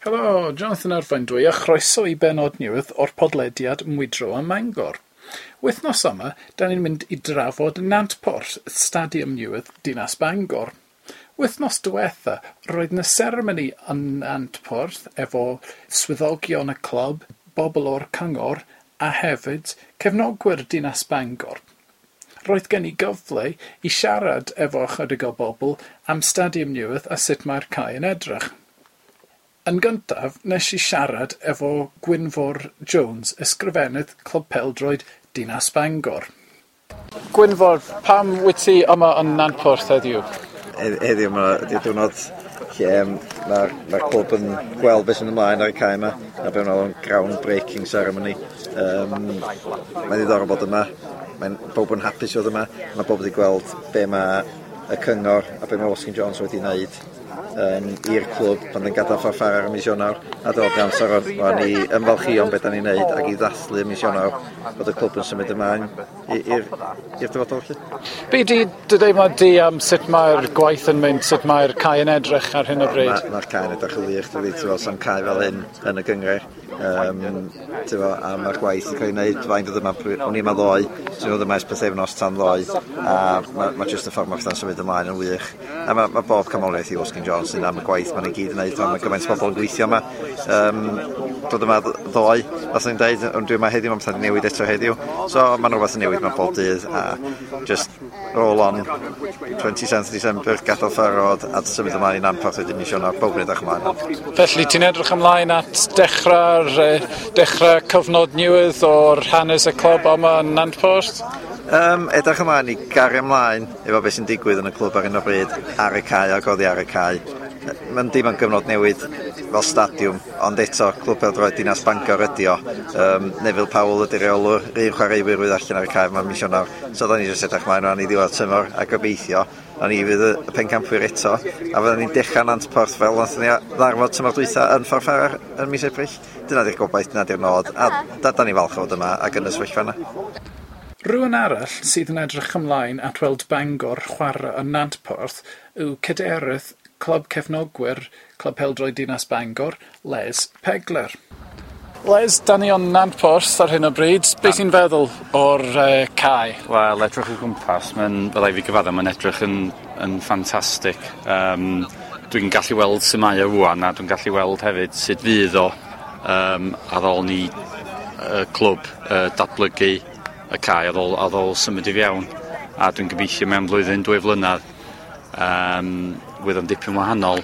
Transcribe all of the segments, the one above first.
Helo, Jonathan Arfain dwi a chroeso i bennod newydd o'r podlediad Mwydro ym Mangor. Wythnos yma, da ni'n mynd i drafod Nantporth, stadiwm newydd Dinas Bangor. Wythnos diwetha, roedd 'na seremoni yn Nantporth efo swyddogion y clwb, bobl o'r cyngor a hefyd cefnogwyr Dinas Bangor. Roedd gen i gyfle i siarad efo ychydig o bobl am stadiwm newydd a sut mae'r cae yn edrych. Yn gyntaf, nes i siarad efo Gwynfor Jones, ysgrifennydd Clwb Pêl-droed Dinas Bangor. Gwynfor, pam wyt ti yma yn Nantporth heddiw? Heddiw mae ydy'r diwrnod lle mae'r ma clwb yn gweld beth sy'n ymlaen ar y cae yma, a be maen nhw'n ground breaking ceremony. Mae'n ddiddorol bod yma, mae'n bob yn hapus i fod yma, mae bob wedi gweld be mae y cyngor a be mae Watkin Jones wedi wneud i'r clwb pan yn gadael Ffordd ar mis Ionawr, a dod yn amser o'n i ymfalchïo yn beth da ni'n neud ac i ddathlu mis Ionawr bod y clwb yn symud ymlaen i'r dyfodol felly. Be di dy deimlad di am sut mae'r gwaith yn mynd, sut mae'r cae yn edrych ar hyn o bryd? Mae'r ma cae yn edrych yn wych, dwi'n ti'n fel sam cae fel hyn yn y gynghrair. Ti'n a mae'r gwaith yn cael ei wneud, fain dod yma, o'n i yma ddoe, ti'n dod yma ers pythefnos tan ddoe, a mae ma jyst y ffordd mae pethau'n symud ymlaen yn wych. A mae ma bob canmoliaeth i Watkin Jones yn am y gwaith maen nhw gyd yn wneud, mae gymaint o bobl yn gweithio yma. Dod yma ddoe, fath o'n dweud, ond dwi yma heddiw, mae pethau'n newid eto heddiw. So mae'n rhywbeth yn newid mewn bob dydd, a just roll on 27th December, gadael Ffordd a symud ymlaen i Nantporth wedyn mis Ionawr, bob yn edrych ymlaen. Felly ti'n edrych ymlaen at dechrau cyfnod newydd o'r hanes y clwb yma yn Nantporth? Edrych ymlaen i gario ymlaen efo beth sy'n digwydd yn y clwb ar hyn o bryd, ar y cae ac oddi ar y cae. Mae'n dim yn gyfnod newid fel stadiwm, ond eto Clwb Pêl-droed Dinas Bangor ydi o. Neville Powell ydy'r reolwr, un chwaraewyr fydd allan ar y cae yma mis Ionawr. So da ni jyst edrych ymlaen rhan i ddiwedd tymor a gobeithio na ni fydd y pencampwyr eto, a fyddwn ni'n dechrau Nantporth fel nath ni ddarfod tymor dwytha yn Ffordd Ffarrar yn mis Ebrill. Dyna di'r gobaith, dyna di'r nod, a da ni falch o fod yma ac yn y sefyllfa yna. Rhywun arall sydd yn edrych ymlaen at weld Bangor chwarae yn Nantporth yw cadeirydd Clwb Cefnogwyr Clwb Pêl-droed Dinas Bangor, Les Pegler. Les, da ni o'n Nantporth ar hyn o bryd. Be ti'n feddwl o'r cae? Wel, edrych o gwmpas, mae'n, byddai fi gyfadda, mae'n edrych yn ffantastig. Dwi'n gallu weld sut mae o rŵan, a dwi'n gallu weld hefyd sut fydd o ar ôl ni y clwb datblygu y cae ar ôl symud i fewn. A dwi'n gobeithio mewn blwyddyn, 2 flynedd, fydd o'n dipyn wahanol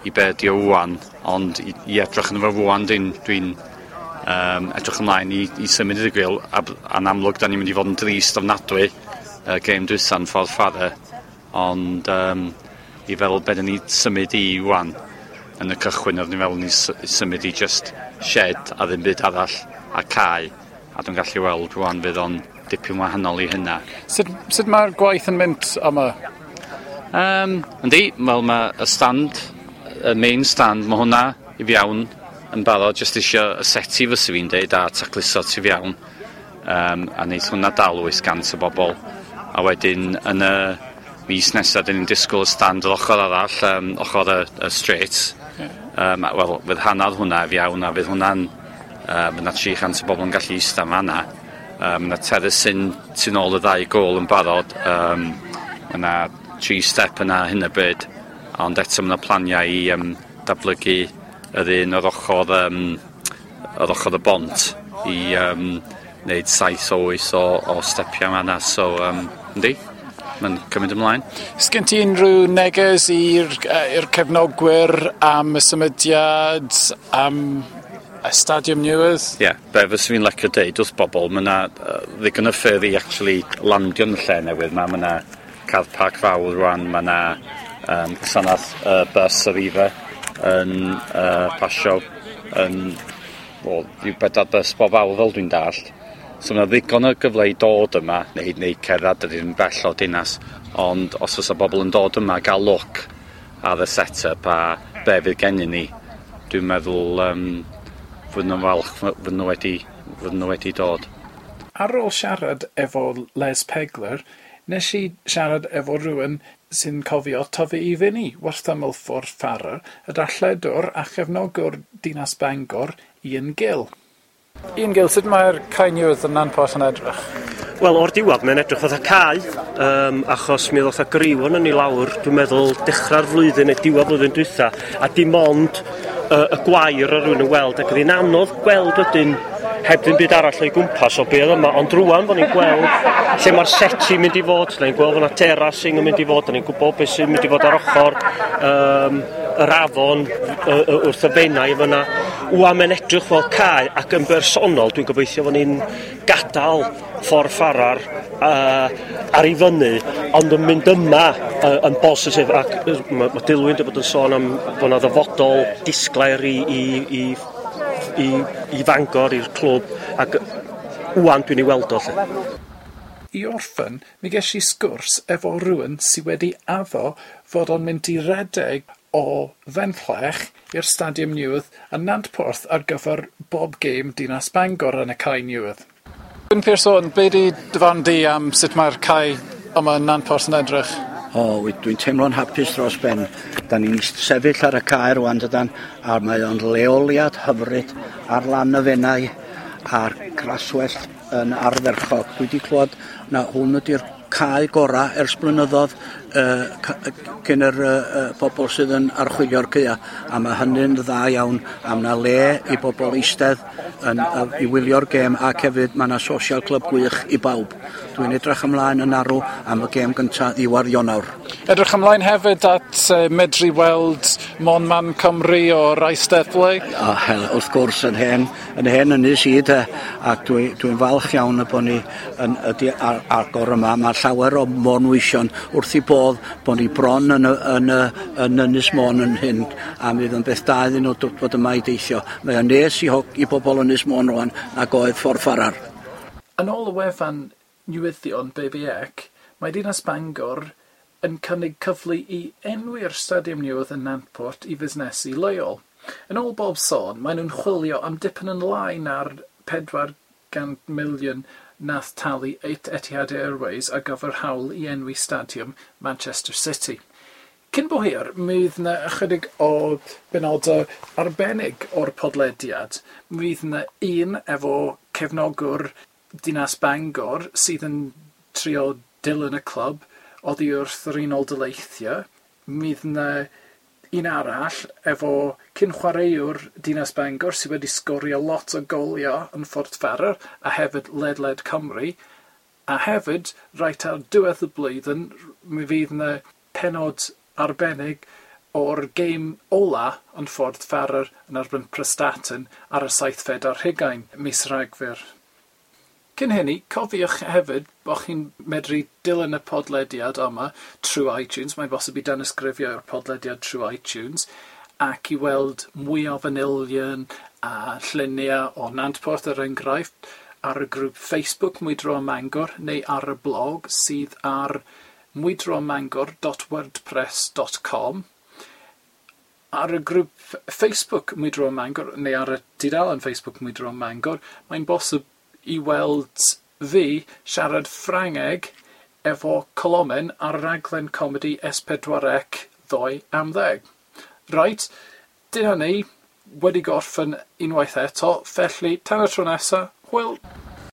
i be ydi o rŵan, ond i edrych yn efo rŵan, dwi'n edrych ymlaen i symud i'r grill, a'n amlwg da ni'n mynd i fod yn drist ofnadwy gêm dwytha'n Ffordd Ffarrar, ond i feddwl be da ni symud i rŵan, yn y cychwyn oeddwn i'n meddwl ni symud i just shed a ddim byd arall a cae, a dwi'n gallu weld rŵan fydd o'n dipyn wahanol i hynna. Sut mae'r gwaith yn mynd yma? Yndi, wel mae y stand, y main stand, mae hwnna i fewn yn barod, jyst isio y seti fysa fi'n deud a tacluso tu fewn, a neith hwnna dal 800 o bobl. A wedyn yn y mis nesaf, dyn ni'n disgwyl y stand yr ochr arall, ochr y straight. Wel, fydd hanner hwnna i fewn, a fydd hwnna'n, fydd 'na 300 o bobl yn gallu eistedd fan'na. Mae 'na terrace tu nôl y ddau gôl yn barod. Mae 'na 3 step yna hyn o bryd, ond eto mae 'na planiau i datblygu yr un o'r ochr, yr ochr y bont i wneud 7 o 8 o stepiau fan'na. So, yndi, mae'n cymryd ymlaen. Sgen ti unrhyw neges i'r cefnogwyr am y symudiad, am y stadiwm newydd? Ie, yeah, be fyswn i'n licio deud wrth bobl, mae yna ddigon o ffyrdd i actually landio yn y lle newydd 'ma. Mae yna car park fawr rwan, mae yna gwasanaeth bus Arriva yn pasio yn, wel, rhyw 4 bus bob awr fel dwi'n dallt. So mae yna ddigon o gyfle i dod yma, neu cerdded, dydy ddim bell o dinas, ond os oes bobl yn dod yma gael look ar y set-up a be fydd gennyn ni, dwi'n meddwl fod nhw'n falch fod nhw wedi dod. Ar ôl siarad efo Les Pegler, nes i siarad efo rhywun sy'n cofio tyfu i fyny wrth ymyl Ffordd Farrar, y darlledwr a chefnogwr Dinas Bangor, Ian Gill. Ian Gill, sut mae'r cae newydd yn Nantporth yn edrych? Wel, o'r diwedd mae'n edrych fatha cae, achos mi ddoth a griw yn ni lawr, dwi'n meddwl, dechrau'r flwyddyn neu diwedd flwyddyn dwytha, a dim ond y gwair o rywun yn weld, ac oedd hi'n anodd gweld wedyn heb ddim byd arall o'i gwmpas o be oedd yma, ond rwan bod ni'n gweld lle mae'r seti mynd i fod, da ni'n gweld fod yna terracing yn mynd i fod, da ni'n gwybod beth sy'n mynd i fod ar ochr yr afon wrth y Fenai fyna. Wan mae'n edrych fel cae, ac yn bersonol dwi'n gobeithio fod ni'n gadael Ffordd Farrar ar ei fyny, ond yn mynd yma yn bositif, ac mae Dilwyn wedi bod yn sôn am bod yna ddyfodol disglair i Fangor, i'r clwb, ac wan dwi'n ei weld o lle. I orffen, mi ges i sgwrs efo rhywun sydd wedi addo fod o'n mynd i redeg o Fenllech i'r Stadiwm Newydd yn Nantporth ar gyfer bob gêm Dinas Bangor yn y cae newydd. Gwyn Pearson, be di dy farn di am sut mae'r cae yma yn Nantporth yn edrych? O, dwi'n teimlo'n hapus dros ben. Da ni'n sefyll ar y cae rwan, dydan, a mae o'n leoliad hyfryd ar lan y Fenai a'r graswellt yn ardderchog. Dwi wedi clywed na hwn ydy'r cae gorau ers blynyddoedd cyn yr bobl sydd yn archwilio'r caea, a mae hynny'n dda iawn, a mae 'na le i bobl eistedd i wylio'r gêm, ac hefyd mae yna social club gwych i bawb. Dwi'n edrych ymlaen yn arw am y gêm gyntaf ddiwedd Ionawr. Edrych ymlaen hefyd at medru weld Mon Man Cymru o'r Eisteddle? O, hel, wrth gwrs, yn hen ynys i de, ac dwi'n falch iawn y bod ni yn ydi ar, agor yma. Mae llawer o Môn-weision wrth i bodd bod ni bron yn Ynys Môn yn hyn, a mi fydd yn beth da iddyn nhw dod yma i deithio. Mae o'n nes i bobl Ynys Môn rwan ac oedd Ffordd Farrar. Yn ôl y wefan newyddion BBC, mae Dinas Bangor yn cynnig cyfle i enwi'r stadiwm newydd yn Nantport i fusnesu leol. Yn ôl bob sôn, maen nhw'n chwilio am dipyn yn lai na'r 400 miliwn nath talu Etihad Airways ar gyfer hawl i enwi stadiwm Manchester City. Cyn bo hir, mi fydd yna ychydig o benodau arbennig o'r podlediad. Mi fydd yna un efo cefnogwr Dinas Bangor sydd yn trio dilyn y clwb oddi wrth yr Unol Daleithiau. Mi fydd yna un arall efo cyn chwaraewr Dinas Bangor sydd wedi sgorio lot o goliau yn Ffordd Farrar a hefyd ledled Cymru. A hefyd, reit ar diwedd y blwyddyn, mi fydd yna penod arbennig o'r gêm ola yn Ffordd Farrar yn erbyn Prestatyn ar y 27 mis Rhagfyr. Cyn hynny, cofiwch hefyd bod chi'n medru dilyn y podlediad yma trwy iTunes. Mae'n bosib i danysgrifio i'r podlediad trwy iTunes ac i weld mwy o fanylion a lluniau o Nantporth er enghraifft ar y grŵp Facebook Mwydro ym Mangor neu ar y blog sydd ar mwydromangor.wordpress.com. Ar y grŵp Facebook Mwydro ym Mangor neu ar y tudalen Facebook Mwydro ym Mangor, mae'n bosib i weld fi siarad Ffrangeg efo Colomen ar raglen comedi S4C ddoe am 10. Reit, dyna ni, wedi gorffen unwaith eto, felly tan y tro nesa, hwyl!